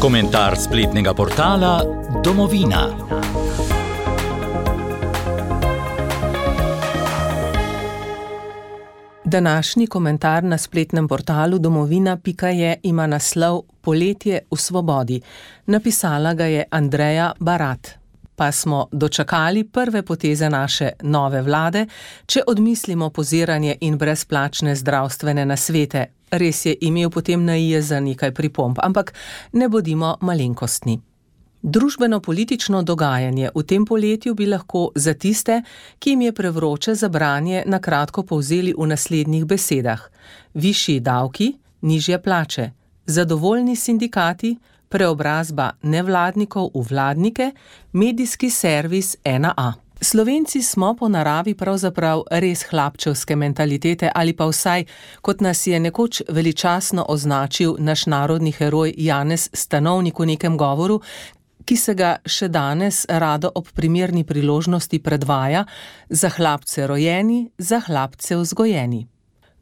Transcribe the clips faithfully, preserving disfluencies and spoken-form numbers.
Komentar spletnega portala Domovina. Današnji komentar na spletnem portalu domovina pika je ima naslov Poletje v svobodi. Napisala ga je Andreja Barat. Pa smo dočakali prve poteze naše nove vlade, če odmislimo poziranje in brezplačne zdravstvene nasvete. Res je imel potem na i za nekaj pripomb, ampak ne bodimo malenkostni. Družbeno-politično dogajanje v tem poletju bi lahko za tiste, ki jim je prevroče za branje, na kratko povzeli v naslednjih besedah. Višji davki, nižje plače, zadovoljni sindikati, preobrazba nevladnikov v vladnike, medijski servis ena a. Slovenci smo po naravi pravzaprav res hlapčevske mentalitete ali pa vsaj, kot nas je nekoč veličasno označil naš narodni heroj Janez Stanovnik v nekem govoru, ki se ga še danes rado ob primerni priložnosti predvaja: za hlapce rojeni, za hlapce vzgojeni.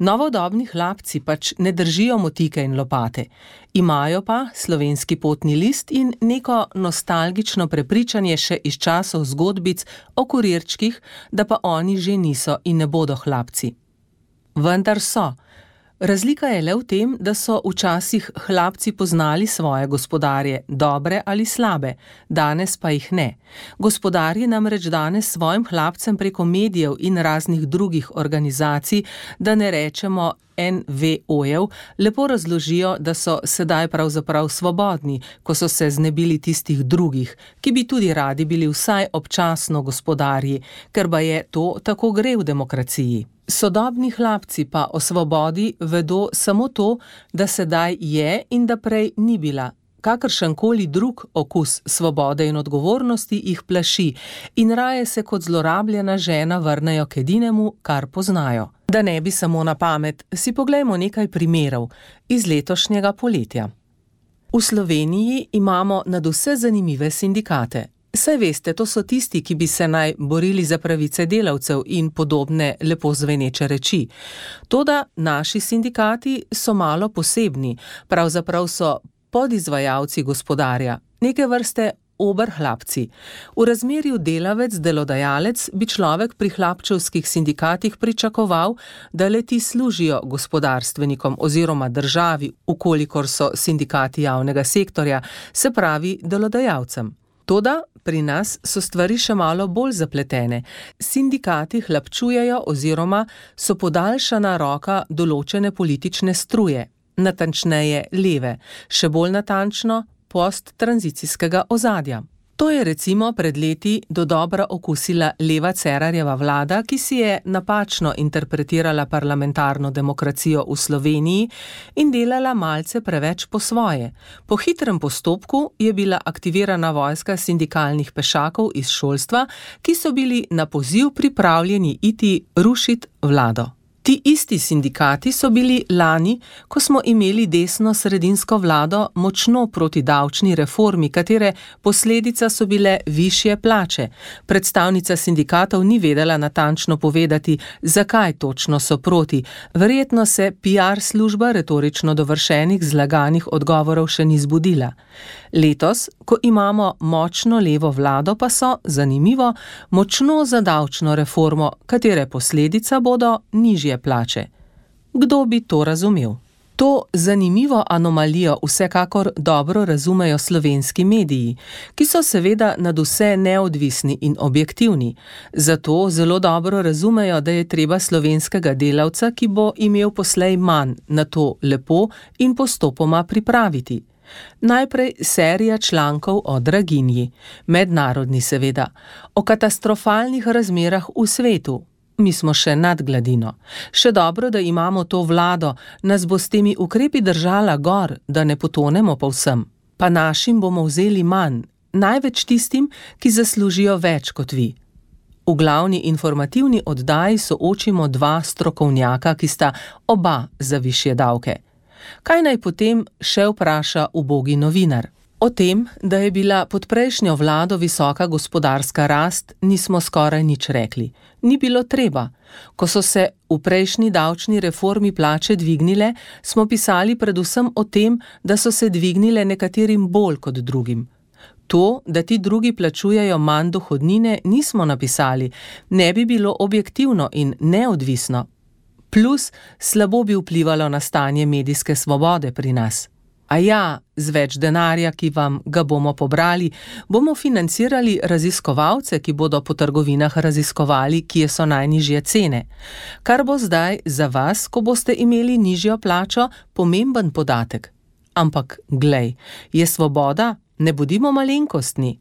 Novodobni hlapci pač ne držijo motike in lopate, imajo pa slovenski potni list in neko nostalgično prepričanje še iz časov zgodbic o kurirčkih, da pa oni že niso in ne bodo hlapci. Vendar so. Razlika je le v tem, da so včasih hlapci poznali svoje gospodarje, dobre ali slabe, danes pa jih ne. Gospodarji namreč danes svojim hlapcem preko medijev in raznih drugih organizacij, da ne rečemo en ve o-jev, lepo razložijo, da so sedaj pravzaprav svobodni, ko so se znebili tistih drugih, ki bi tudi radi bili vsaj občasno gospodarji, ker ba je to tako gre v demokraciji. Sodobni hlapci pa o svobodi vedo samo to, da sedaj je in da prej ni bila. Kakršenkoli drug okus svobode in odgovornosti jih plaši in raje se kot zlorabljena žena vrnejo k edinemu, kar poznajo. Da ne bi samo na pamet, si poglejmo nekaj primerov iz letošnjega poletja. V Sloveniji imamo nadvse zanimive sindikate. Saj veste, to so tisti, ki bi se naj borili za pravice delavcev in podobne lepo zveneče reči. Toda naši sindikati so malo posebni, pravzaprav so podizvajalci gospodarja, neke vrste oberhlapci. V razmerju delavec-delodajalec bi človek pri hlapčevskih sindikatih pričakoval, da le-ti služijo gospodarstvenikom oziroma državi, ukolikor so sindikati javnega sektorja, se pravi delodajalcem. Toda pri nas so stvari še malo bolj zapletene. Sindikati hlapčujejo oziroma so podaljšana roka določene politične struje, natančneje leve, še bolj natančno posttranzicijskega ozadja. To je recimo pred leti dodobra okusila leva Cerarjeva vlada, ki si je napačno interpretirala parlamentarno demokracijo v Sloveniji in delala malce preveč po svoje. Po hitrem postopku je bila aktivirana vojska sindikalnih pešakov iz šolstva, ki so bili na poziv pripravljeni iti rušit vlado. Ti isti sindikati so bili lani, ko smo imeli desno-sredinsko vlado, močno proti davčni reformi, katere posledica so bile višje plače. Predstavnica sindikatov ni vedela natančno povedati, zakaj točno so proti. Verjetno se pi ar služba retorično dovršenih zlaganih odgovorov še ni zbudila. Letos, ko imamo močno levo vlado, pa so, zanimivo, močno za davčno reformo, katere posledica bodo nižje plače. Kdo bi to razumel? To zanimivo anomalijo vsekakor dobro razumejo slovenski mediji, ki so seveda nadvse neodvisni in objektivni. Zato zelo dobro razumejo, da je treba slovenskega delavca, ki bo imel poslej manj, na to lepo in postopoma pripraviti. Najprej serija člankov o draginji, mednarodni seveda, o katastrofalnih razmerah v svetu. Mi smo še nad gladino. Še dobro, da imamo to vlado, nas bo s temi ukrepi držala gor, da ne potonemo povsem. Pa našim bomo vzeli manj, največ tistim, ki zaslužijo več kot vi. V glavni informativni oddaji soočimo dva strokovnjaka, ki sta oba za višje davke. Kaj naj potem še vpraša ubogi novinar? O tem, da je bila pod prejšnjo vlado visoka gospodarska rast, nismo skoraj nič rekli. Ni bilo treba. Ko so se v prejšnji davčni reformi plače dvignile, smo pisali predvsem o tem, da so se dvignile nekaterim bolj kot drugim. To, da ti drugi plačujejo manj dohodnine, nismo napisali, ne bi bilo objektivno in neodvisno. Plus, slabo bi vplivalo na stanje medijske svobode pri nas. A ja, z več denarja, ki vam ga bomo pobrali, bomo financirali raziskovalce, ki bodo po trgovinah raziskovali, kje so najnižje cene. Kar bo zdaj za vas, ko boste imeli nižjo plačo, pomemben podatek. Ampak, glej, je svoboda? Ne bodimo malenkostni.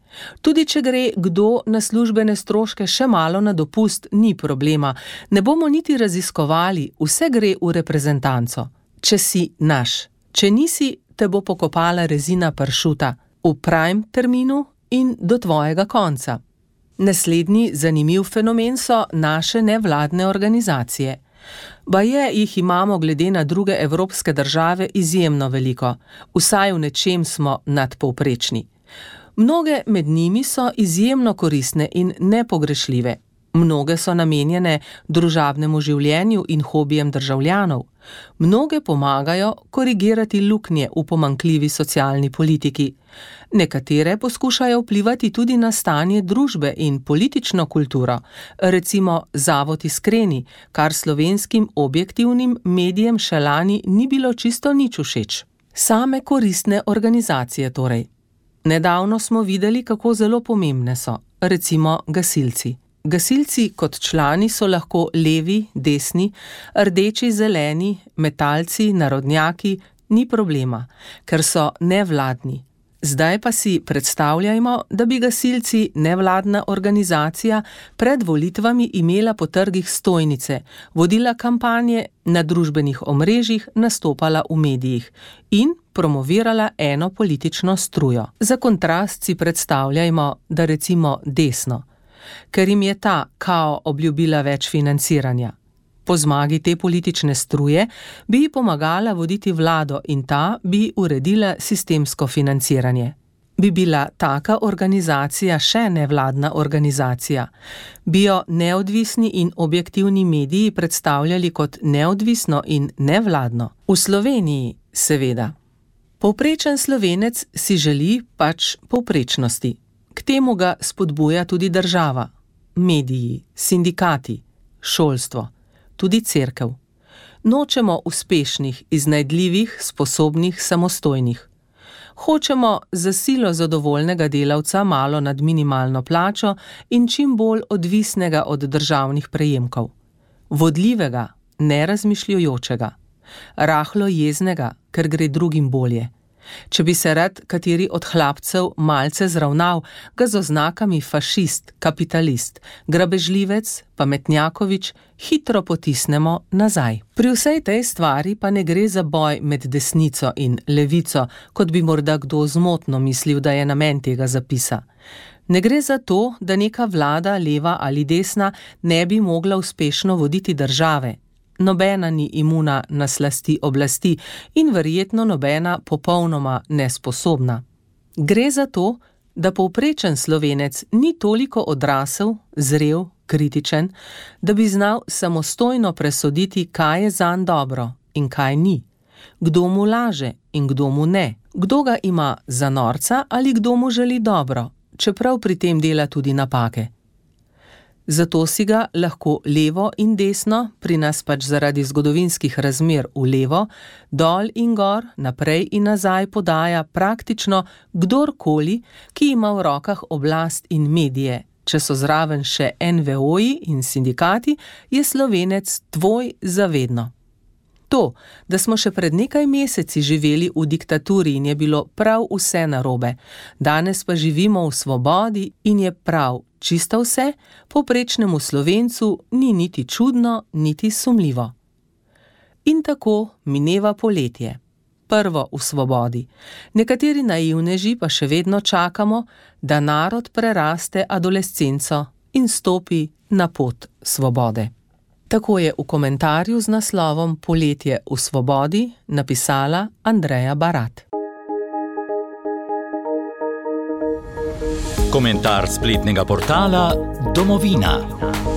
Tudi če gre kdo na službene stroške še malo na dopust, ni problema. Ne bomo niti raziskovali, vse gre v reprezentanco. Če si naš, če nisi, te bo pokopala rezina pršuta v prime terminu in do tvojega konca. Naslednji zanimiv fenomen so naše nevladne organizacije. Baje jih imamo glede na druge evropske države izjemno veliko, vsaj v nečem smo nadpovprečni. Mnoge med njimi so izjemno koristne in nepogrešljive. Mnoge so namenjene družabnemu življenju in hobijem državljanov. Mnoge pomagajo korigirati luknje v pomanjkljivi socialni politiki. Nekatere poskušajo vplivati tudi na stanje družbe in politično kulturo, recimo Zavod Iskreni, kar slovenskim objektivnim medijem še lani ni bilo čisto nič všeč. Same koristne organizacije torej. Nedavno smo videli, kako zelo pomembne so, recimo gasilci. Gasilci kot člani so lahko levi, desni, rdeči, zeleni, metalci, narodnjaki, ni problema, ker so nevladni. Zdaj pa si predstavljajmo, da bi gasilci, nevladna organizacija, pred volitvami imela po trgih stojnice, vodila kampanje na družbenih omrežjih, nastopala v medijih in promovirala eno politično strujo. Za kontrast si predstavljajmo, da recimo desno, ker jim je ta kao obljubila več financiranja. Po zmagi te politične struje bi ji pomagala voditi vlado in ta bi uredila sistemsko financiranje. Bi bila taka organizacija še nevladna organizacija? Bi jo neodvisni in objektivni mediji predstavljali kot neodvisno in nevladno? V Sloveniji, seveda. Povprečen Slovenec si želi pač povprečnosti. K temu ga spodbuja tudi država, mediji, sindikati, šolstvo, tudi cerkev. Nočemo uspešnih, iznajdljivih, sposobnih, samostojnih. Hočemo za silo zadovoljnega delavca malo nad minimalno plačo in čim bolj odvisnega od državnih prejemkov. Vodljivega, nerazmišljujočega. Rahlo jeznega, ker gre drugim bolje. Če bi se rad kateri od hlapcev malce zravnal, ga z oznakami fašist, kapitalist, grabežljivec, pametnjakovič hitro potisnemo nazaj. Pri vsej tej stvari pa ne gre za boj med desnico in levico, kot bi morda kdo zmotno mislil, da je namen tega zapisa. Ne gre za to, da neka vlada, leva ali desna, ne bi mogla uspešno voditi države. Nobena ni imuna na slasti oblasti in verjetno nobena popolnoma nesposobna. Gre za to, da povprečen Slovenec ni toliko odrasel, zrel, kritičen, da bi znal samostojno presoditi, kaj je zanj dobro in kaj ni. Kdo mu laže in kdo mu ne. Kdo ga ima za norca ali kdo mu želi dobro, čeprav pri tem dela tudi napake. Zato si ga lahko levo in desno, pri nas pač zaradi zgodovinskih razmer v levo, dol in gor, naprej in nazaj podaja praktično kdorkoli, ki ima v rokah oblast in medije. Če so zraven še en ve oji in sindikati, je Slovenec tvoj zavedno. To, da smo še pred nekaj meseci živeli v diktaturi in je bilo prav vse narobe, danes pa živimo v svobodi in je prav čisto vse, povprečnemu Slovencu ni niti čudno, niti sumljivo. In tako mineva poletje. Prvo v svobodi. Nekateri naivneži pa še vedno čakamo, da narod preraste adolescenco in stopi na pot svobode. Tako je v komentarju z naslovom Poletje v svobodi napisala Andreja Barat. Komentar spletnega portala Domovina.